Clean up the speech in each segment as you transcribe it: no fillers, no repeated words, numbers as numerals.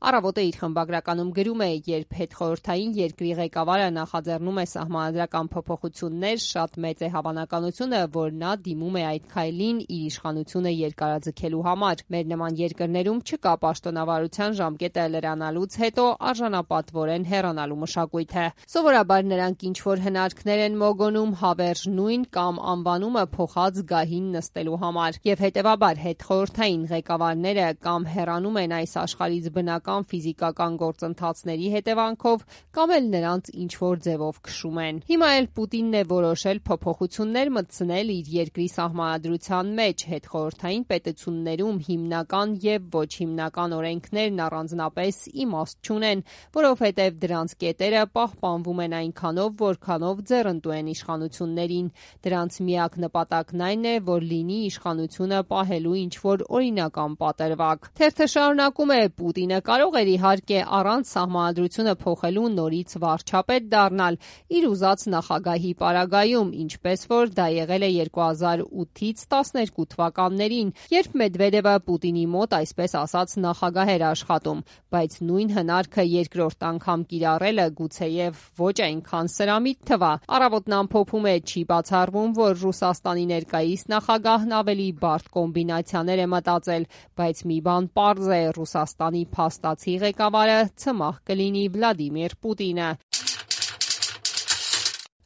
Առավոտը իր խմբագրականում գրում է, երբ հետխորհրդային երկրի ղեկավարը նախաձեռնում է սահմանադրական փոփոխություններ, շատ մեծ է հավանականությունը, որ նա դիմում է այդ քայլին իր իշխանությունը երկարաձգելու համար։ Մեր նման երկրներում չկա պաշտոնավարության ժամկետը լրանալուց հետո արժանապատվորեն հեռանալու մշակույթը։ Սովորաբար նրանք ինչ-որ հնարքներ են մոգոնում հավերժ նույն կամ անվանումը փոխած գահին նստելու համար։ Եվ հետևաբար հետխորհրդային ղեկավարները կամ հեռանում են այս աշխարհից բնական ֆիզիկական գործընթացների հետևանքով, կամ էլ նրանց ինչ-որ ձևով քշում են։ Հիմա էլ Պուտինն է որոշել փոփոխություններ մտցնել իր երկրի սահմանադրության մեջ, հետխորհրդային պետություններում հիմնական եւ ոչ հիմնական օրենքներն առանձնապես իմաստ չունեն, որովհետեւ դրանց կետերը պահպանվում են այնքանով, որքանով ձեռնտու են իշխանություններին։ Դրանց միակ նպատակն այն է, որ լինի իշխանությունը պահելու ինչ-որ օրինական պատրվակ։ Թերթը շարունակում է. Պուտինը կարող էր իհարկե առանց սահմանադրությունը փոխելու նորից վարչապետ դառնալ իր ուզած նախագահի պարագայում, ինչպես որ դա եղել է 2008-ից 12 թվականներին, երբ Մեդվեդևը Պուտինի մոտ այսպես ասած նախագահ էր աշխատում, բայց նույն հնարքը երկրորդ անգամ կիրառելը գուցեև ոչ այնքան սրամիտ թվա։ Առավոտն ամփոփում է. չի բացառվում, որ Ռուսաստանի ներկայիս նախագահն ավելի բարդ կոմբինացիաներ է մտածել, բայց մի բան պարզ է. Ռուսաստանի փաստացի ղեկավարը ցմահ կլինի Վլադիմիր Պուտինը։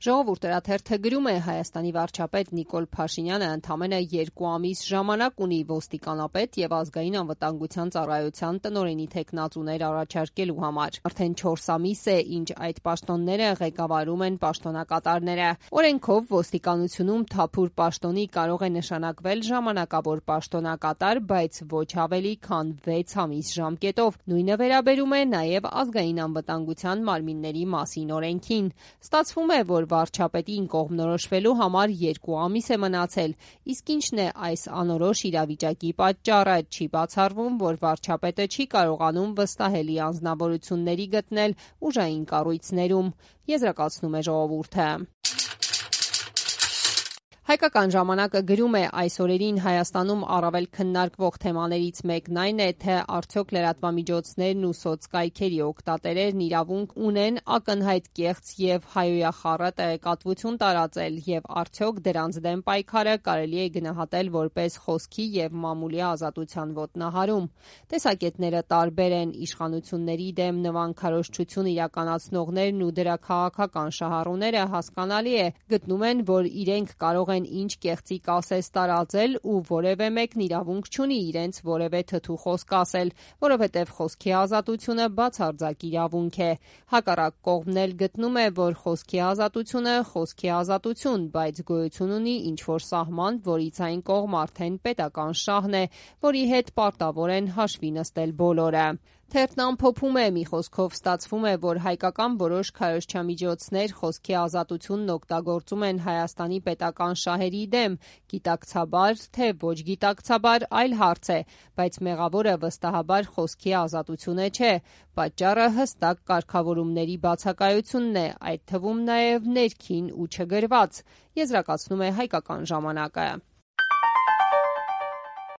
Ժողովուրդ թերթը գրում է. Հայաստանի վարչապետ Նիկոլ Փաշինյանը ընդամենը 2 ամիս ժամանակ ունի ոստիկանապետ եւ ազգային անվտանգության ծառայության տնօրենի թեկնածուներ առաջարկելու համար։ Արդեն 4 ամիս է, ինչ այդ պաշտոնները ղեկավարում են պաշտոնակատարները։ Օրենքով ոստիկանությունում թափուր պաշտոնի կարող է նշանակվել ժամանակավոր պաշտոնակատար, բայց ոչ ավելի քան 6 ամիս ժամկետով։ Նույնը վերաբերում է նաեւ ազգային անվտանգության մարմինների մասին օրենքին։ Ստացվում է, որ վարչապետին կողմնորոշվելու համար 2 ամիս է մնացել, իսկ ինչն է այս անորոշ իրավիճակի պատճառը, չի բացառվում, որ վարչապետը չի կարողանում վստահելի անձնավորությունների գտնել ուժային կառույցներում, եզրակացնում է Ժողովուրդը։ Հայկական ժամանակը գրում է. այս օրերին Հայաստանում առավել քննարկվող թեմաներից մեկն այն է, թե արդյոք լրատվամիջոցներն ու սոցկայքերի օգտատերերն իրավունք ունեն ակնհայտ կեղծ եւ հայոյախառը տեղեկատվություն տարածել եւ արդյոք դրանց դեմ պայքարը կարելի է գնահատել որպես խոսքի եւ մամուլի ազատության ոտնահարում։ Տեսակետները տարբեր են։ Իշխանությունների դեմ նվանքարոշչություն իրականացնողներն ու դրա քաղաքական շահառուները հասկանալի է, գտնում են, որ իրենք կարող են ինչ կեղծիկ ասես տարածել ու որևէ մեկն իրավունք չունի իրենց որևէ թթու խոսք ասել, որովհետև խոսքի ազատությունը բացարձակ իրավունք է։ Հակառակ կողմն էլ գտնում է, որ խոսքի ազատությունը խոսքի ազատություն, բայց գոյություն ունի ինչ-որ սահման, որից այն կողմ արդեն պետական շահն է, որի հետ պարտավոր են հաշվի նստել բոլորը։ Թերթն ամփոփում է. մի խոսքով ստացվում է, որ հայկական որոշ քարոզչամիջոցներ խոսքի ազատությունն օգտագործում են Հայաստանի պետական շահերի դեմ, գիտակցաբար, թե ոչ գիտակցաբար, այլ հարց է, բայց մեղավորը վստահաբար խոսքի ազատությունը չէ, պատճառը հստակ կարգավորումների բացակայությունն է, այդ թվում նաև ներքին ու չգրված, եզրակացնում է Հայկական ժամանակը։